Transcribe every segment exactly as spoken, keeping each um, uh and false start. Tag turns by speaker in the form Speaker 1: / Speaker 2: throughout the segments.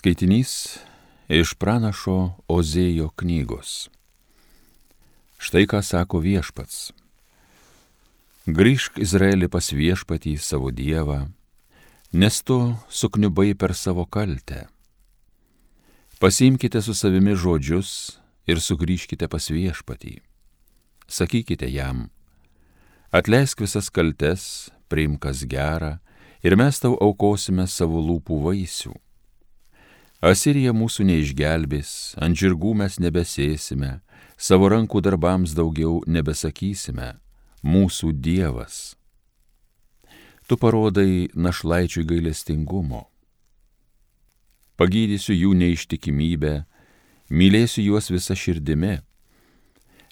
Speaker 1: Skaitinys iš pranašo Ozėjo knygos. Štai ką sako viešpats. Grįžk Izraeli pas viešpatį savo dievą, nes tu sukniubai per savo kaltę. Pasiimkite su savimi žodžius ir sugrįžkite pas viešpatį. Sakykite jam, atleisk visas kaltes, priimk kas gera, ir mes tau aukosime savo lūpų vaisių. Asirija mūsų neišgelbės, ant žirgų mes nebesėsime, savo rankų darbams daugiau nebesakysime, mūsų Dievas. Tu parodai našlaičiui gailestingumo. Pagydysiu jų neištikimybę, mylėsiu juos visa širdimi,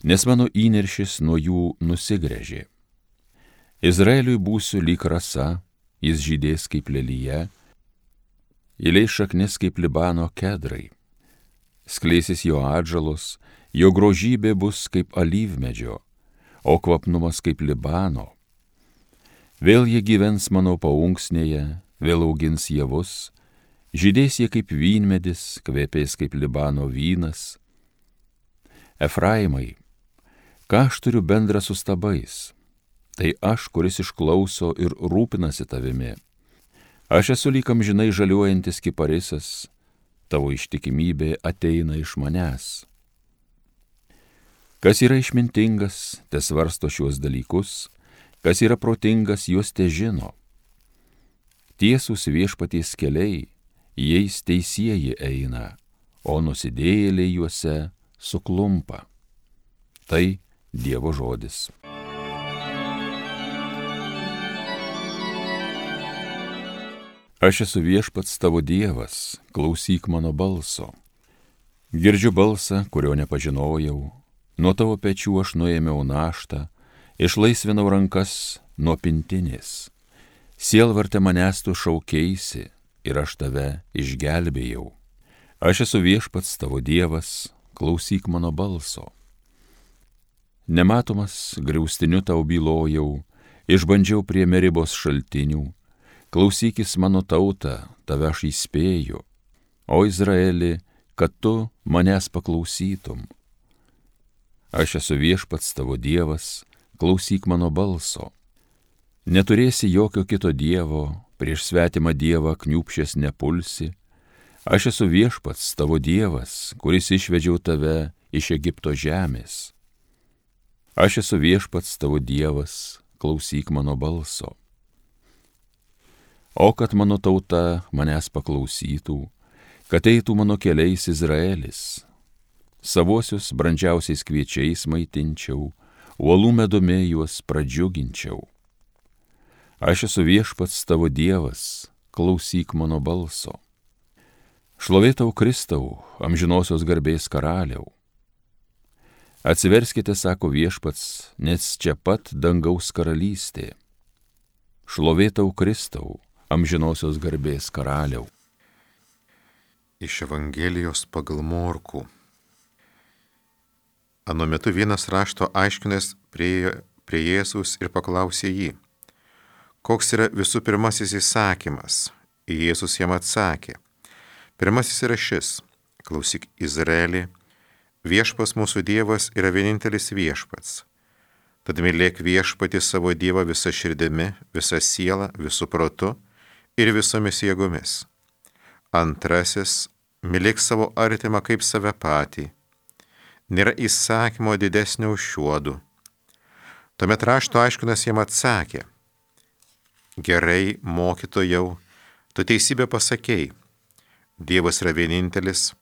Speaker 1: nes mano įniršis nuo jų nusigręžė. Izraeliui būsiu lyg rasa, jis žydės kaip lelija, įleis šaknis kaip Libano kedrai. Skleisis jo atžalos, jo grožybė bus kaip alyvmedžio, o kvapnumas kaip Libano. Vėl jie gyvens mano paunksnėje, vėl augins javus, žydės jie kaip vynmedis, kvepės kaip Libano vynas. Efraimai, ką aš turiu bendra su stabais? Tai aš, kuris išklauso ir rūpinasi tavimi. Aš esu lyg amžinai žaliuojantis kiparisas, tavo ištikimybė ateina iš manęs. Kas yra išmintingas, te svarsto šiuos dalykus, kas yra protingas, juos te žino. Tiesūs viešpaties keliai, jais teisieji eina, o nusidėjėliai juose suklumpa. Tai Dievo žodis. Aš esu viešpats tavo Dievas, klausyk mano balso. Girdžiu balsą, kurio nepažinojau, nuo tavo pečių aš nuėmiau naštą, išlaisvinau rankas nuo pintinės. Sielvarte manęs tu šaukeisi ir aš tave išgelbėjau. Aš esu viešpats tavo Dievas, klausyk mano balso. Nematomas griaustiniu tau bylojau, išbandžiau prie Meribos šaltinių. Klausykis mano tauta, tave aš įspėju, o Izraeli, kad tu manęs paklausytum. Aš esu viešpats tavo Dievas, klausyk mano balso. Neturėsi jokio kito dievo, prieš svetimą dievą kniūpšės nepulsi. Aš esu viešpats tavo Dievas, kuris išvedžiau tave iš Egipto žemės. Aš esu viešpats tavo Dievas, klausyk mano balso. O kad mano tauta manęs paklausytų, kad eitų mano keliais Izraelis. Savuosius brandžiausiais kviečiais maitinčiau, uolų medumi juos pradžiuginčiau. Aš esu viešpats tavo Dievas, klausyk mano balso. Šlovėtau Kristau, amžinosios garbės karaliau. Atsiverskite, sako viešpats, nes čia pat dangaus karalystė. Šlovėtau Kristau, amžinosios garbės karaliau.
Speaker 2: Iš Evangelijos pagal Morkų. Anu metu vienas rašto aiškinęs priejo prie Jėzaus ir paklausė jį, koks yra visų pirmasis įsakymas? Jėzus jam atsakė, pirmasis yra šis, klausyk Izraeli, viešpas mūsų Dievas yra vienintelis viešpats. Tad mylėk viešpatį savo Dievą visą širdimi, visą sielą, visų protu ir visomis jėgomis. Antrasis, mylėk savo artimą kaip save patį. Nėra įsakymo didesnio už šiuodu. Tuomet rašto aiškinas jam atsakė, gerai, mokytojau, tu teisybę pasakei. Dievas yra vienintelis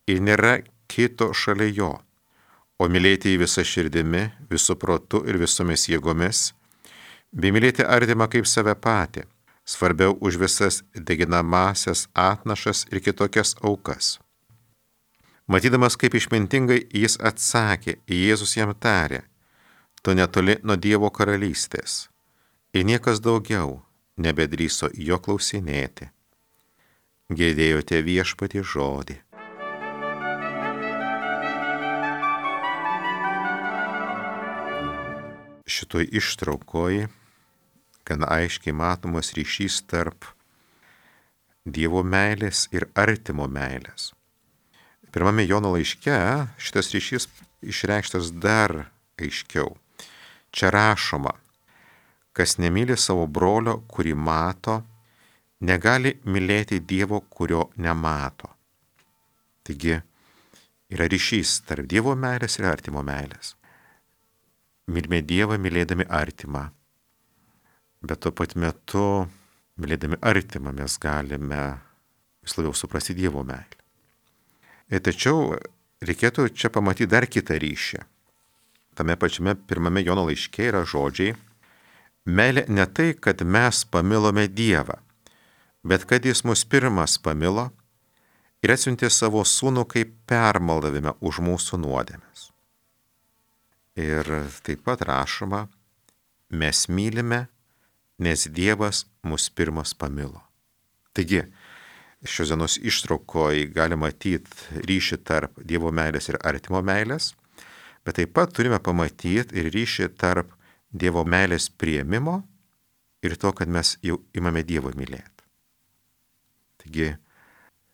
Speaker 2: ir nėra kito šalia jo. O mylėti jį visą širdimi, visų protu ir visomis jėgomis, bei mylėti artimą kaip save patį, svarbiau už visas deginamasias atnašas ir kitokias aukas. Matydamas, kaip išmintingai jis atsakė, Jėzus jam tarė, tu netoli nuo Dievo karalystės, ir niekas daugiau nebedrįso jo klausinėti. Girdėjote viešpatį žodį. Šitoj ištraukoj gan aiškiai matomas ryšys tarp Dievo meilės ir artimo meilės. Pirmame Jono laiške šitas ryšys išreikštas dar aiškiau. Čia rašoma, kas nemyli savo brolio, kurį mato, negali mylėti Dievo, kurio nemato. Taigi yra ryšys tarp Dievo meilės ir artimo meilės. Mylime Dievą, mylėdami artimą. Bet tuo pat metu, mylėdami artimą, mes galime vis labiau suprasti Dievo meilę. Ir tačiau reikėtų čia pamatyti dar kitą ryšį. Tame pačiame pirmame Jono laiške yra žodžiai: meilė ne tai, kad mes pamilome Dievą, bet kad Jis mus pirmas pamilo ir atsiuntė savo sūnų kaip permaldavimą už mūsų nuodėmes. Ir taip pat rašoma, mes mylime, nes Dievas mus pirmas pamilo. Taigi, šios dienos ištraukoje galima matyti ryšį tarp Dievo meilės ir artimo meilės, bet taip pat turime pamatyti ir ryšį tarp Dievo meilės priėmimo ir to, kad mes jau imame Dievą mylėti. Taigi,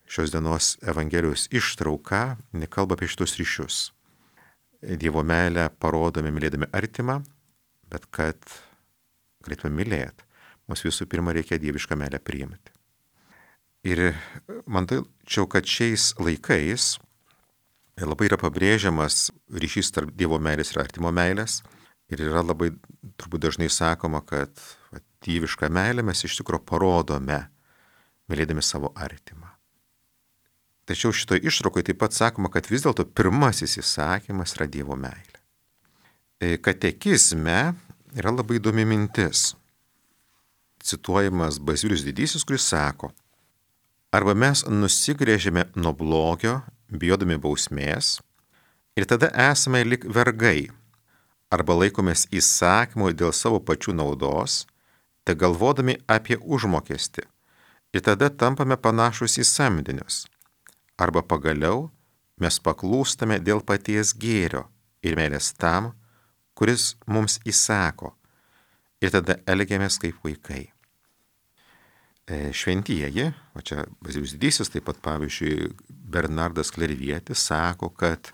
Speaker 2: šios dienos Evangelijos ištrauka nekalba apie šitus ryšius. Dievo meilę parodome mylėdami artimą, bet kad galėtume mylėti, mums visų pirma reikia dievišką meilę priimti. Ir man tai čia, kad šiais laikais labai yra pabrėžiamas ryšys tarp Dievo meilės ir artimo meilės. Ir yra labai turbūt dažnai sakoma, kad va, dievišką meilę mes iš tikrųjų parodome, mylėdami savo artimą. Tačiau šitoje ištraukoje taip pat sakoma, kad vis dėlto pirmasis įsakymas yra Dievo meilė. Katekizme yra labai įdomi mintis. Cituojamas Bazilijus Didysis, kuris sako, arba mes nusigrėžėme nuo blogio, bijodami bausmės, ir tada esame lik vergai, arba laikomės įsakymų dėl savo pačių naudos, te galvodami apie užmokestį, ir tada tampame panašus į samdinius, arba pagaliau mes paklūstame dėl paties gėrio ir meilės tam, kuris mums įsako, ir tada elgiamės kaip vaikai. Šventieji, o čia Bazilijus Didysis, taip pat pavyzdžiui Bernardas Klervietis sako, kad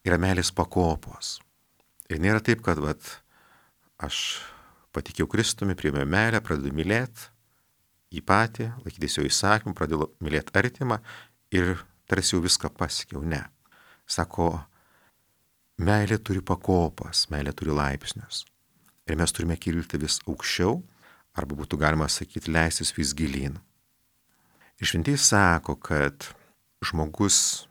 Speaker 2: yra meilės pakopos. Ir nėra taip, kad vat, aš patikėjau Kristumi, priėmiau meilę, pradedu mylėti jį patį, laikytis jo įsakymų, pradedu mylėti artimą ir tarsi jau viską pasiekiau. Ne. Sako, meilė turi pakopas, meilė turi laipsnius. Ir mes turime kilti vis aukščiau, arba būtų galima sakyti, leistis vis gilyn. Ir šventieji sako, kad žmogus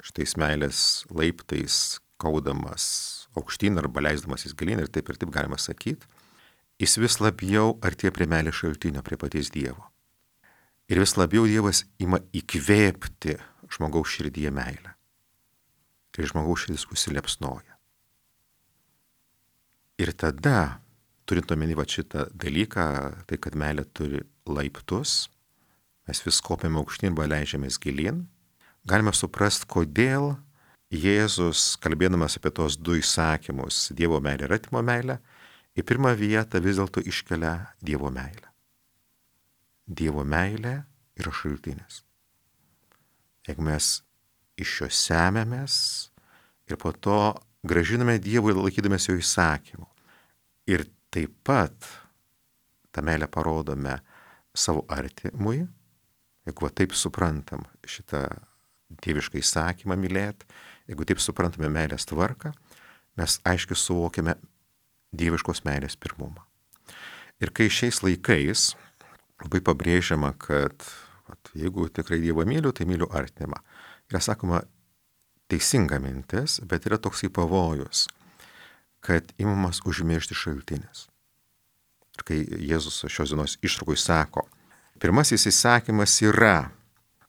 Speaker 2: šitais meilės laiptais kaudamas aukštyn arba leisdamas jis gilyn, ir taip ir taip galima sakyti, jis vis labiau artėja prie meilės šaltinio, prie paties Dievo. Ir vis labiau Dievas ima įkvėpti žmogaus širdyje meilę. Ir žmogaus širdis užsilepsnoja. Ir tada, turint omeny va šitą dalyką, tai kad meilė turi laiptus, mes vis kopiame aukštyn arba leidžiamės gilyn, galime suprasti, kodėl Jėzus, kalbėdamas apie tos du įsakymus, Dievo meilę ir artimo meilę, į pirmą vietą vis dėlto iškelia Dievo meilę. Dievo meilė yra šaltinis. Jeigu mes iš jo semiamės ir po to grąžiname Dievui laikydamės jo įsakymų. Ir taip pat tą meilę parodome savo artimui, jeigu taip suprantam šitą dievišką įsakymą mylėti, jeigu taip suprantame meilės tvarką, mes aiškiai suvokiame dieviškos meilės pirmumą. Ir kai šiais laikais labai pabrėžiama, kad vat, jeigu tikrai Dievą myliu, tai myliu artimą. Yra sakoma teisinga mintis, bet yra toksai pavojus, kad imamas užmiršti šaltinis. Ir kai Jėzus šios dienos ištraukoj sako, pirmasis įsakymas yra,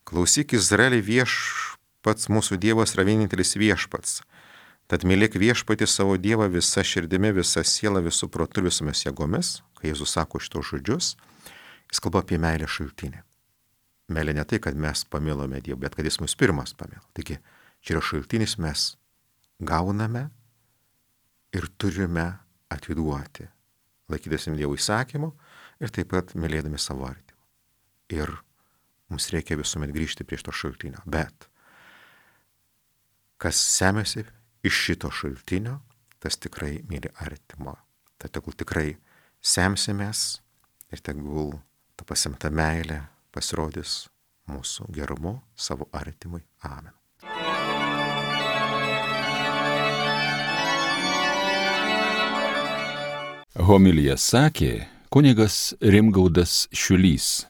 Speaker 2: klausyk Izraeli, viešpats mūsų Dievas yra vienintelis viešpats. Tad mylėk viešpatį savo Dievą visa širdimi, visa siela, visų protu ir visomis jėgomis. Kai Jėzus sako šitos žodžius, jis kalba apie meilę šaltinį. Meilė ne tai, kad mes pamilome Dievą, bet kad jis mus pirmas pamilo. Taigi, čia yra šaltinis, mes gauname ir turime atiduoti, laikydami Dievo įsakymų ir taip pat mylėdami savo artimą. Ir Mums reikia visuomet grįžti prie šito šaltinio. Bet kas semiasi iš šito šaltinio, tas tikrai myli artimo. Tai tegul tikrai semsimės ir tegul ta pasimta meilė pasirodys mūsų gerumu savo artimui. Amen.
Speaker 1: Homiliją sakė kunigas Rimgaudas Šiulys.